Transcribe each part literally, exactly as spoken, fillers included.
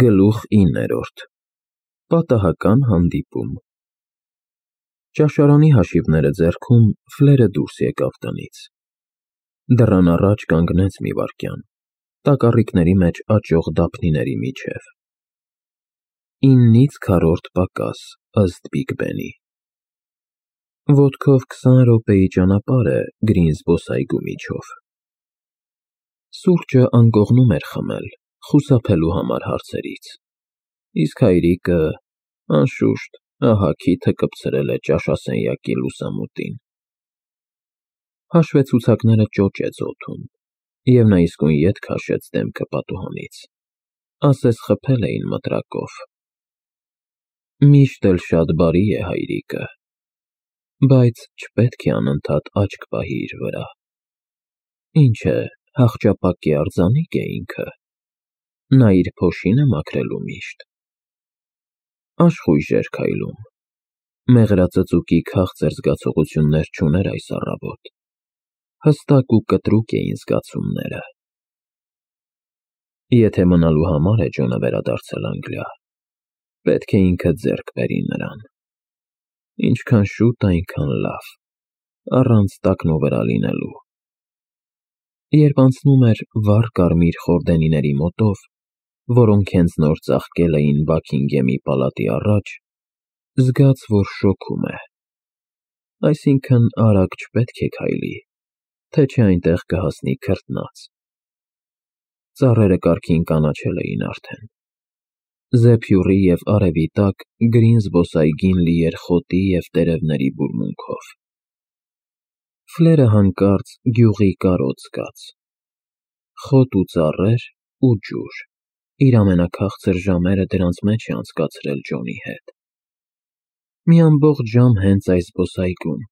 Գլուխ իններորդ Պատահական հանդիպում Ճաշարանի հաշիվները ձեռքում Ֆլերը դուրս եկավ տնից, դռան առաջ կանգնեց մի վայրկյան, տակառիկների մեջ աճող դափնիների միջև, իննից քառորդ պակաս, ըստ Բիգ Բենի, ոտքով քսան րոպեի ճանապարհ է Գրին զբոսայգու միջով, սուրճը անկողնում էր խմել, խուսափելու համար հարցերից, իսկ հայրիկը, անշուշտ, ահա քիթը կպցրել է ճաշասենյակի լուսամուտին, հաշվեցուցակները ճոճեց օդում, և նա իսկույն ետ քաշեց դեմքը պատուհանից, ասես խփել էին մտրակով, միշտ էլ շատ բարի է հայրիկը, բայց չպետք է անընդհատ աչք պահի իր վրա, ինչ է, հախճապակի արձանիկ է ինքը, նա իր փոշին է մաքրելու միշտ, աշխույժ էր քայլում, մեղրածծուկի քաղցր զգացողություններ չուներ այս առավոտ, հստակ ու կտրուկ էին զգացումները, եթե մնալու համար է Ջոնը վերադարձել Անգլիա, պետք է ինքը ձեռք բերի նրան, ինչքան շուտ այնքան լավ, առանց տակնուվրա լինելու, երբ անցնում էր վառ կարմիր խորդենիների մոտով, որոնք հենց նոր ծաղկել էին Բաքինգեմի պալատի առաջ, զգաց, որ շոգում է, այսինքն արագ չպետք է քայլի, թե չէ այնտեղ կհասնի քրտնաց, ծառերը կարգին կանաչել էին արդեն, զեփյուռի և արևի տակ Գրին զբոսայգին լի էր խոտի և տերևների բուրմունքով, Ֆլերը հանկարծ գյուղի կարոտ զգաց, խոտ ու ծառեր ու ջուր, իր ամենաքաղցր ժամերը դրանց մեջ է անցկացրել Ջոնի հետ, մի ամբողջ ժամ հենց այս զբոսայգում,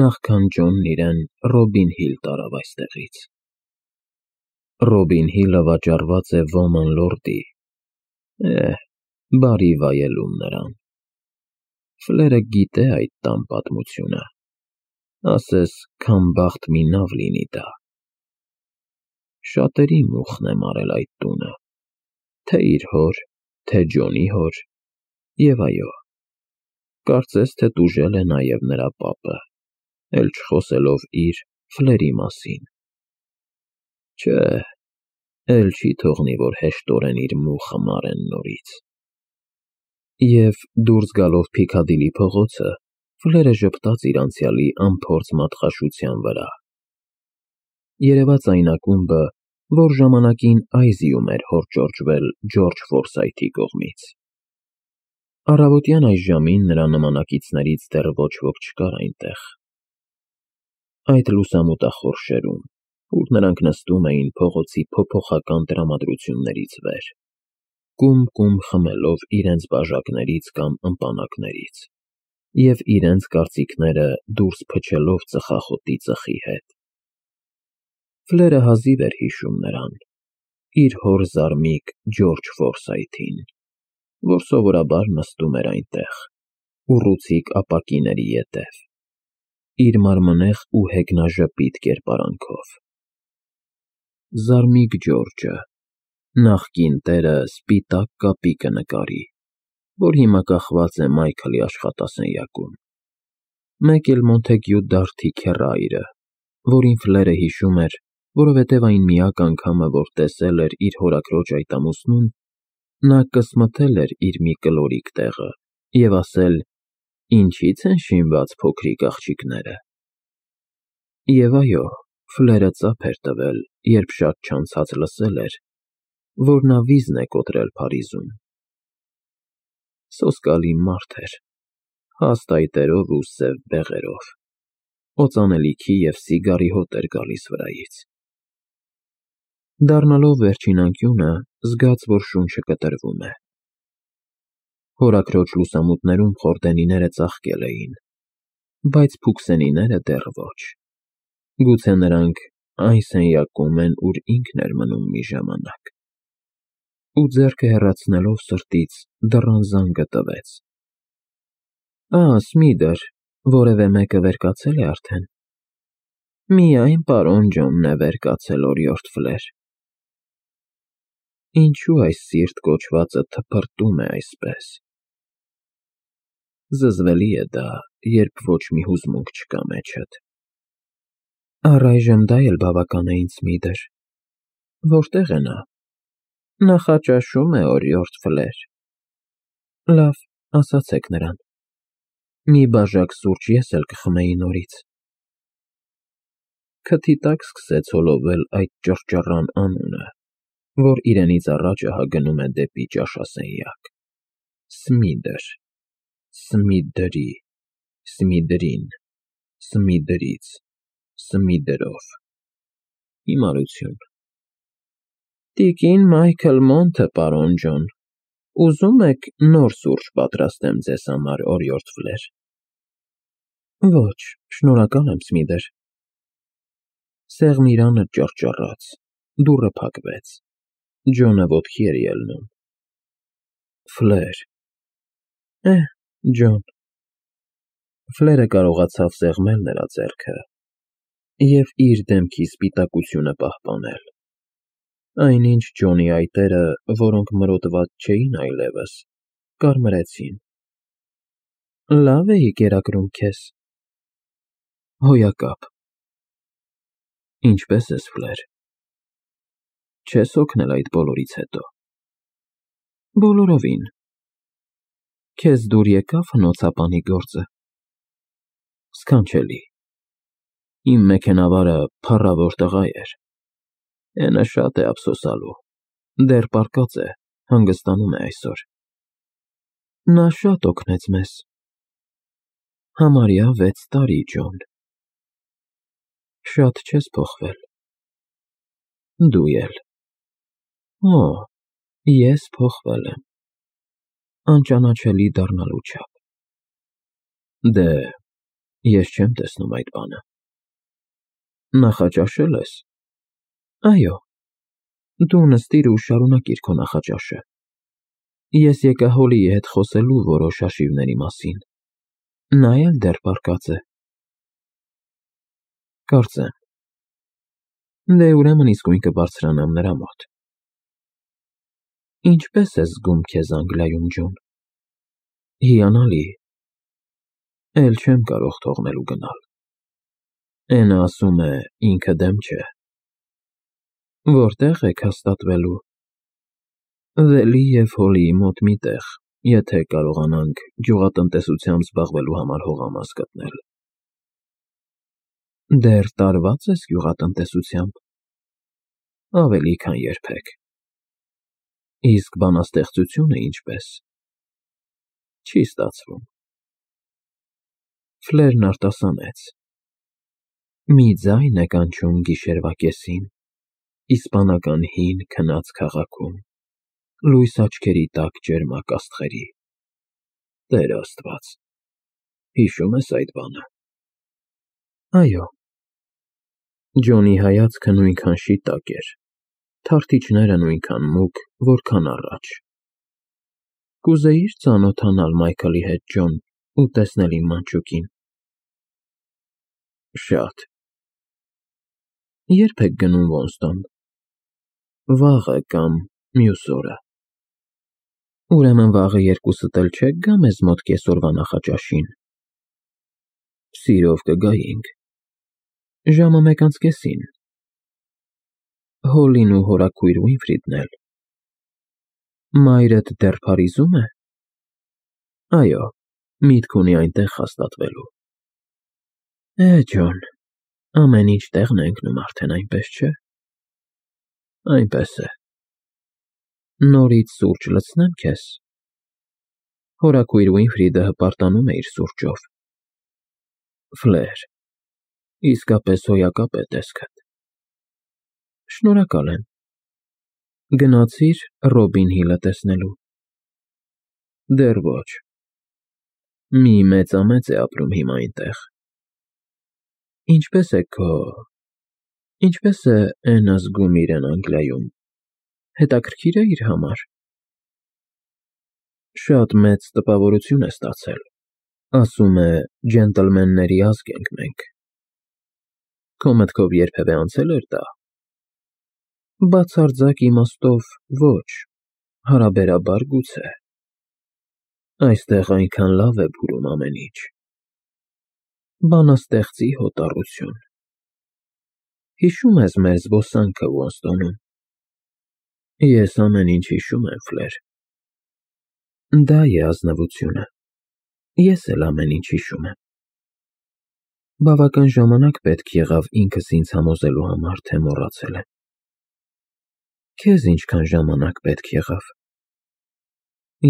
նախքան Ջոնն իրեն Ռոբին Հիլ տարավ այստեղից, Ռոբին Հիլը վաճառված է Ոման լորդի, էհ, բարի վայելում նրան, Ֆլերը գիտե այդ տան պատմությունը, ասես քամբախտ մի նավ լինի դա, շատերի մուխն է մարել այդ տունը, թե իր հոր, թե Ջոնի հոր, և այո, կարծես թե տուժել է նաև նրա պապը, էլ չխոսելով իր՝ Ֆլերի մասին, չէ, էլ չի թողնի, որ հեշտորեն իր մուխը մարեն նորից, և դուրս գալով Փիքադիլի փողոցը, Ֆլերը ժպտաց իր անցյալի անփորձ մատխաշության վրա, երևաց այն ակումբը, որ ժամանակին Այզիում էր հորճորջվել Ջորջ Ֆորսայթի կողմից, առավոտյան այս ժամին նրա նմանակիցներից դեռ ոչ ոք չկար այնտեղ, այդ լուսամուտախոր շերում, ուր նրանք նստում էին փողոցի փոփոխական տրամադրություններից վեր, կում-կում խմելով իրենց բաժակներից կամ ըմպանակներից և իրենց կարծիքները դուրս փչելով ծխախոտի ծխի հետ, Ֆլերը հազիվ էր հիշում նրան, իր հոր զարմիկ Ջորջ Ֆորսայթին, որ սովորաբար նստում էր այնտեղ, ուռուցիկ ապակիների ետև, իր մարմնեղ ու հեգնաժպիտ կերպարանքով, զարմիկ Ջորջը, նախկին տերը սպիտակ կապի կնկարի, որ հիմա կախված է Մայքլի աշխատասենյակում, մեկ էլ Մոնթեգյու Դարթի քեռայրը, որին Ֆլերը հիշում էր, որովհետև այն միակ անգամը, որ տեսել էր իր հորաքրոջ այդ ամուսնուն, նա կսմթել էր իր մի կլորիկ տեղը և ասել. «Ինչի՞ց են շինված փոքրիկ աղջիկները», և այո, Ֆլերը ծափ էր տվել, երբ շատ չանցած լսել էր, որ նա վիզն է կոտրել Փարիզում, սոսկալի մարդ էր, հաստ այտերով ու սև բեղերով, օծանելիքի և սիգարի հոտ էր գալիս վրայից, դառնալով վերջին անկյունը, զգաց, որ շունչը կտրվում է, հորաքրոջ լուսամուտներում խորդենիները ծաղկել էին, բայց փուքսենիները դեռ ոչ, գուցե նրանք այն սենյակում են, ուր ինքն էր մնում մի ժամանակ, ու ձեռքը հեռացնելով սրտից դռան զանգը տվեց, «Ա, Սմիդր, որևէ մեկը վեր կացել է արդեն»։ «Միայն պարոն Ջոնն է վեր կացել, օրիորդ Ֆլեր»։ Ինչու այս սիրտ կոչվածը թփրտում է այսպես։ Զզվելի է դա, երբ ոչ մի հուզմունք չկա մեջդ։ Առայժմ դա էլ բավական է ինձ Սմիթեր։ Որտե՞ղ է նա։ Նախաճաշում է օրիորդ Ֆլեր։ Լավ, ասացեք նրան։ Մի բաժակ սուրճ ես էլ կխմեի նորից։ Քթի տակ սկսեց հոլովել այդ ճռճռան անունը, որ իրենից առաջ ահա գնում է դեպի ճաշասենյակ։ Սմիդր, Սմիդրի, Սմիդրին, Սմիդրից, Սմիդրով։ Հիմարություն։ Տիկին Մայքլ Մոնթը, պարոն Ջոն, ուզում եք նոր սուրճ պատրաստեմ ձեզ համար, օրիորդ Ֆլեր։ Ոչ, շնորհակալ եմ, Սմիթեր։ Սեղմիրանը ճռճռաց, դուռը փակվեց, Ջոնը ոտքի էր ելնում։ Ֆլեր։ Էհ, Ջոն։ Ֆլերը կարողացավ սեղմել նրա ձեռքը և իր դեմքի սպիտակությունը պահպանել։ Այնինչ Ջոնի այտերը, որոնք մրոտված չէին այլևս, կարմրեցին։ Լավ էի կերակրում քեզ։ Հոյակապ։ Ինչպե՞ս ես, Ֆլեր։ Չես հոգնել այդ բոլորից հետո։ Բոլորովին։ Քեզ դուր եկավ հնոցապանի գործը։ Սքանչելի։ Իմ մեքենավարը փառավոր տղա էր։ Էնը շատ է ափսոսալու, դեռ պառկած է, հանգստանում է այսօր։ Նա շատ օգնեց մեզ։ Համարյա վեց տարի, Ջոն։ Շատ չես փոխվել։ Դու էլ։ Օ, ես փոխվել եմ։ Անճանաչելի դառնալու չափ։ Դե, ես չեմ տեսնում այդ բանը։ Նախաճաշել ես։ Այո։ Դու նստիր ու շարունակիր քո նախաճաշը։ Ես եկա Հոլիի հետ խոսելու որոշ հաշիվների մասին։ Նա էլ դեռ պառկած է։ Կարծեմ։ Դե ուրեմն իսկույն կբարձրանամ նրա մոտ։ Ինչպե՞ս ես զգում քեզ Անգլիայում, Ջոն։ Հիանալի։ Էլ չեմ կարող թողնել ու գնալ։ Էնը ասում է ինքը դեմ չէ։ Որտե՞ղ եք հաստատվելու։ Վելի և Հոլիի մոտ մի տեղ, եթե կարողանանք գյուղատնտեսությամբ զբաղվելու համար հողամաս գտնել։ Դեռ տարվա՞ծ ես գյուղատնտեսությամբ։ Ավելի քան երբեք։ Իսկ բանաստեղծությունը ինչպե՞ս։ Չի ստացվում։ Ֆլերն արտասանեց։ Մի ձայն է կանչում գիշերվա կեսին, իսպանական հին քնած քաղաքում, լույս աչքերի տակ ճերմակ աստղերի։ Տեր Աստված։ Հիշո՞ւմ ես այդ բանը։ Այո։ Ջոնի հայացքը նույնքան շիտակ էր, թարթիչները նույնքան մուգ, որքան առաջ։ Կուզեի՞ր ծանոթանալ Մայքլի հետ, Ջոն, ու տեսնել իմ մանչուկին։ Շատ։ Ե՞րբ եք գնում Ոստոն։ Վաղը կամ մյուս օրը։ Ուրեմն վաղը երկուսդ էլ չեք գա մեզ մոտ կեսօրվա նախաճաշին։ Սիրով կգայինք։ Ժամը մեկ անց կեսին։ Հոլին ու հորաքույր Ուինֆրիդն էլ։ Մայրդ դեռ Փարիզո՞ւմ է։ Այո, միտք ունի այնտեղ հաստատվելու։ Է, Ջոն, ամեն ինչ տեղն է ընկնում արդեն, այնպես չէ։ Այնպես է։ Նորից սուրճ լցնե՞մ քեզ։ Հորաքույր Ուինֆրիդը հպարտանում է իր սուրճով։ Ֆլեր, իսկապես հոյակապ է տեսքդ։ Շնորհակալ եմ։ Գնացի՞ր Ռոբին Հիլը տեսնելու։ Դեռ ոչ։ Մի մեծամեծ է ապրում հիմա այնտեղ։ Ինչպե՞ս է քո… Ինչպե՞ս է Էնը զգում իրեն Անգլիայում։ Հետաքրքիր է իր համար։ Շատ մեծ տպավորություն է ստացել։ Ասում է ջենտլմենների ազգ ենք մենք։ Քո մտքով երբևէ անցե՞լ էր դա։ Բացարձակ իմաստով ոչ, հարաբերաբար գուցե։ Այստեղ այնքան լավ է բուրում ամեն ինչ։ Բանաստեղծի հոտառություն։ Հիշո՞ւմ ես մեր զբոսանքը Ուոստոնում։ Ես ամեն ինչ հիշում եմ, Ֆլեր։ Դա է ազնվությունը։ Ես էլ ամեն ինչ հիշում եմ։ Բավական ժամանակ պետք եղավ ինքս ինձ համոզելու համար, թե մոռացել եմ։ Քեզ ինչքան ժամանակ պետք եղավ։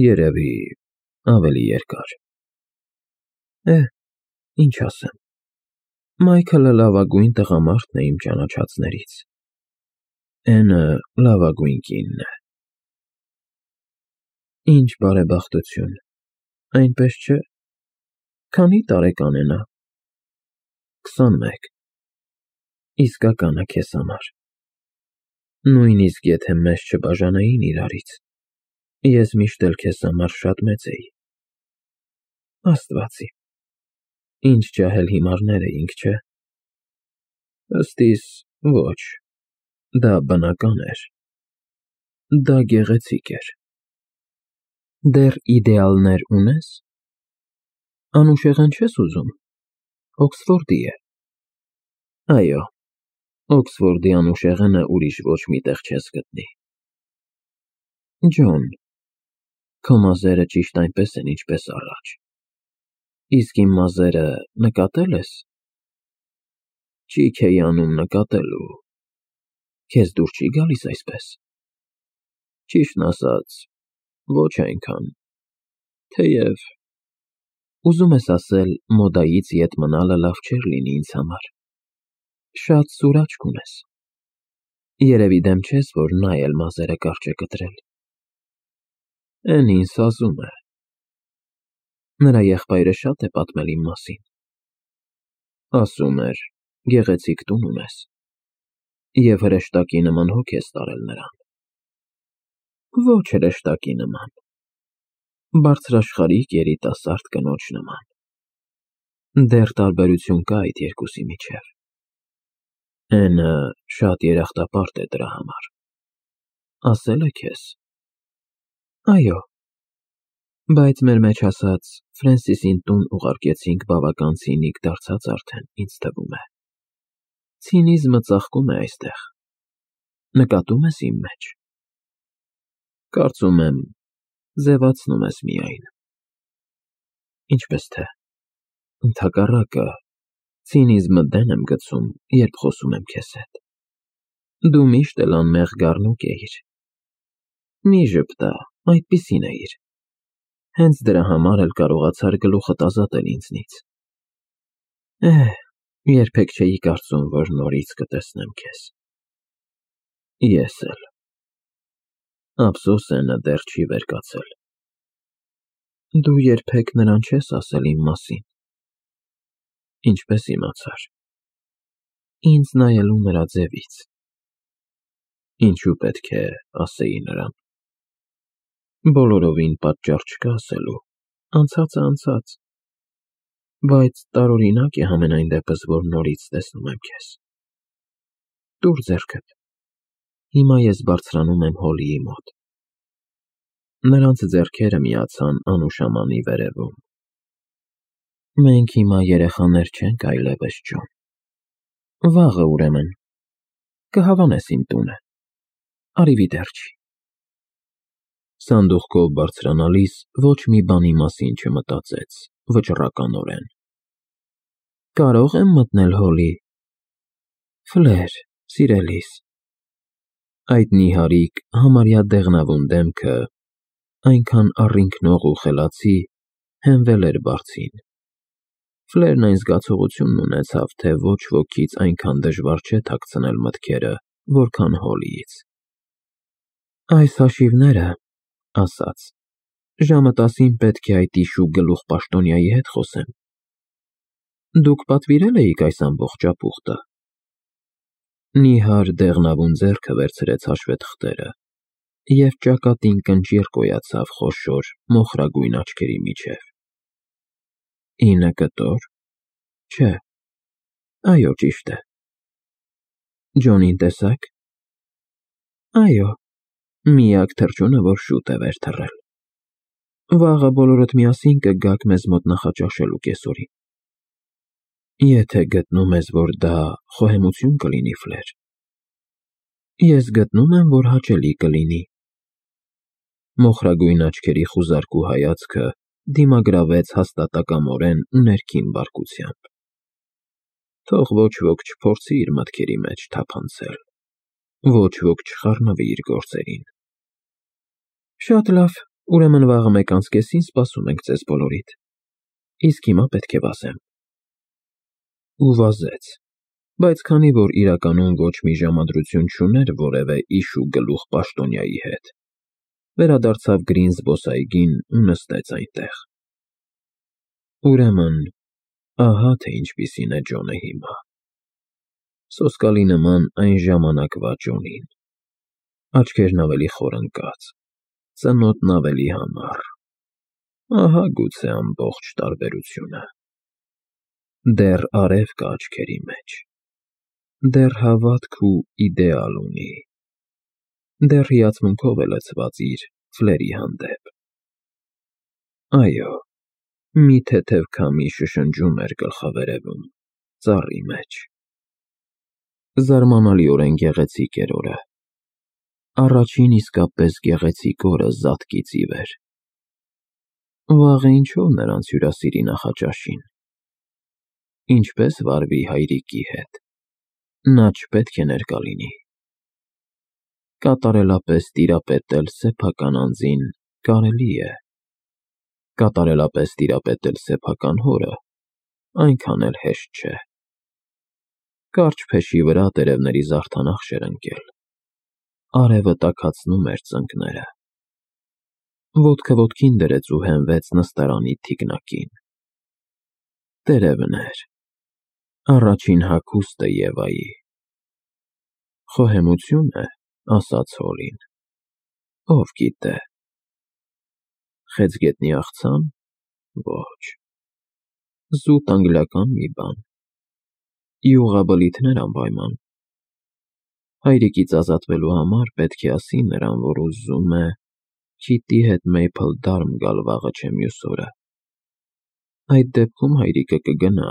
Երևի ավելի երկար։ Է, ինչ ասեմ։ Մայքլը լավագույն տղամարդն է իմ ճանաչածներից։ Էնը լավագույն կինն է։ Ինչ բարեբախտություն, այնպես չէ։ Քանի տարեկան է նա։ Քսանմեկ։ Իսկականը քեզ համար։ Նույնիսկ եթե մեզ չբաժանեին իրարից, ես միշտ էլ քեզ համար շատ մեծ էի։ Աստվածի, ինչ ջահել հիմարներ էինք, չէ։ Ըստ իս, ոչ, դա բնական էր։ Դա գեղեցիկ էր։ Դեռ իդեալներ ունե՞ս։ Անուշեղեն չես ուզում։ Օքսֆորդի է։ Այո, Օքսֆորդի անուշեղենը ուրիշ ոչ մի տեղ չես գտնի։ Ջոն, քո մազերը ճիշտ այնպես են, ինչպես առաջ։ Իսկ իմ մազերը նկատե՞լ ես։ Ճիք էի անում նկատելու։ Քեզ դուր չի գալիս այսպես։ Ճիշտն ասած, ոչ այնքան, թեև… Ուզում ես ասել, մոդայից ետ մնալը լավ չէր լինի ինձ համար։ Շատ սուր աչք ունես։ Երևի դեմ չես, որ նա էլ մազերը կարճ է կտրել։ Էն ինձ ասում է։ Նրա եղբայրը շատ է պատմել իմ մասին։ Ասում էր, գեղեցիկ տուն ունես։ Եվ հրեշտակի նման հոգ ես տարել նրան։ Ոչ հրեշտակի նման։ Բարձրաշխարհիկ երիտասարդ կնոջ նման։ Դեռ տարբերություն կա այդ երկուսի միջև։ Էնը շատ երախտապարտ է դրա համար։ Ասել է քեզ։ Այո։ Բայց մեր մեջ ասած, Ֆրենսիսին տուն ուղարկեցինք բավական ցինիկ դարձած արդեն, ինձ թվում է։ Ցինիզմը ծաղկում է այստեղ։ Նկատում ես իմ մեջ։ Կարծում եմ, ձևացնում ես միայն։ Ինչպես թե, ընդհակառակը, ցինիզմը դեն եմ գցում, երբ խոսում եմ քեզ հետ։ Դու միշտ էլ անմեղ գառնուկ էիր։ Մի ժպտա, այդպիսին էիր։ Հենց դրա համար էլ կարողացար գլուխդ ազատել ինձնից։ Էհ, երբեք չէի կարծում, որ նորից կտեսնեմ քեզ։ Ես էլ։ Ափսոս է նա դեռ չի վեր կացել։ Դու երբեք նրան չես ասել իմ մասին։ Ինչպես իմացար։ Ինձ նայելու նրա ձևից։ Ինչու պետք է ասեի նրան։ Բոլորովին պատճառ չկա ասելու, անցածը անցած։ Բայց տարօրինակ է համենայն դեպս, որ նորից տեսնում եմ քեզ։ Տուր ձեռքդ։ Հիմա ես բարձրանում եմ Հոլիի մոտ։ Նրանց ձեռքերը միացան անուշամանի վերևում։ Մենք հիմա երեխաներ չենք այլևս, Ջոն։ Վաղը ուրեմն, կհավանես իմ տունը, arrivederci։ Սանդուղքով բարձրանալիս ոչ մի բանի մասին չմտածեց, վճռականորեն։ Կարո՞ղ եմ մտնել Հոլի։ Ֆլեր, սիրելիս։ Այդ նիհարիկ, համարյա դեղնավուն դեմքը, այնքան առինքնող ու խելացի, հենվել էր բարձին։ Ֆլերն այն զգացողությունն ունեցավ, թե ոչ ոքից այնքան դժվար չէ թաքցնել մտքերը, որքան Հոլիից։ Այս հաշիվները, ասաց, ժամը տասին պետք է այդ իշու գլուխպաշտոնյայի հետ խոսեմ։ Դուք պատվիրել էիք այս ամբողջ ապուխտը։ Նիհար դեղնավուն ձեռքը վերցրեց հաշվետղթերը և ճակատին կնճիռ կոյացավ խոշոր, մոխրագույն աչքերի միջև։ Ինը կտոր։ Չէ։ Այո, ճիշտ է։ Ջոնին տեսա՞ք։ Այո, միակ թռչունը, որ շուտ է վեր թռել։ Վաղը բոլորդ միասին կգաք մեզ մոտ նախաճաշելու կեսօրին։ Եթե գտնում ես, որ դա խոհեմություն կլինի, Ֆլեր, ես գտնում եմ, որ հաճելի կլինի։ Մոխրագույն աչքերի խուզարկու հայացքը դիմագրավեց հաստատակամորեն ու ներքին բարկությամբ։ Թող ոչ ոք չփորձի իր մտքերի մեջ թափանցել, ոչ ոք չխառնվի իր գործերին։ Շատ լավ, ուրեմն վաղը մեկ անց կեսին սպասում ենք ձեզ բոլորիդ, իսկ հիմա պետք է վազեմ։ Ու վազեց, բայց քանի որ իրականում ոչ մի ժամադրություն չուներ որևէ իշու գլուխ պաշտոնյայի հետ, վերադարձավ գրին զբոսայգին ու նստեց այնտեղ։ Ուրեմն, ահա թե ինչպիսին է Ջոնը հիմա։ Սոսկալի նման այն ժամանակվա Ջոնին, աչքերն ավելի խոր ընկած, ծնոտն ավելի համառ, ահա գուցե ամբողջ տարբերությունը։ Դեռ արև կա աչքերի մեջ, դեռ հավատք ու իդեալ ունի, դեռ հիացմունքով է լցված իր Ֆլերի հանդեպ։ Այո, մի թեթև քամի շշնջում էր գլխավերևում, ծառի մեջ։ Զարմանալիորեն գեղեցիկ էր օրը։ Առաջին իսկապես գեղեցիկ օրը զատկից ի վեր։ Վաղը ինչով նրանց հյուրասիրի նախաճաշին։ Ինչպես վարվի հայրիկի հետ։ Նա չպետք է ներկա լինի։ Կատարելապես տիրապետել սեփական անձին կարելի է։ Կատարելապես տիրապետել սեփական հորը այնքան էլ հեշտ չէ։ Կարճ փեշի վրա տերևների զարդանախշ էր ընկել։ Արևը տաքացնում էր ծնկները։ Ոտքը ոտքին դրեց ու հենվեց նստարանի թիկնակին։ Տերևն էր, առաջին հագուստը Եվայի։ Խոհեմությո՞ւն է, ասաց Հոլին։ Ով գիտե։ Խեցգետնի աղցա՞ն, ոչ։ Զուտ անգլիական մի բան։ Յուղաբլիթներ անպայման։ Հայրիկից ազատվելու համար պետք է ասի նրան, որ ուզում է Քիթի հետ Մեյփլ Դարմ գալ վաղը չէ մյուս օրը։ Այդ դեպքում հայրիկը կգնա,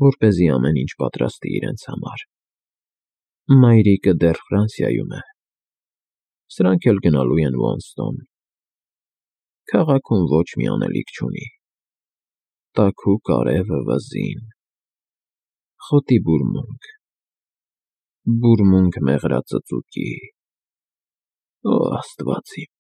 որպեսզի ամեն ինչ պատրաստի իրենց համար։ Մայրիկը դեռ Ֆրանսիայում է։ Սրանք էլ գնալու են Ոնստոն։ Քաղաքում ոչ մի անելիք չունի։ Տաքուկ արևը վզին։ Խոտի բուրմունք։ Բուրմունք մեղրածծուկի։ Օ, Աստված իմ։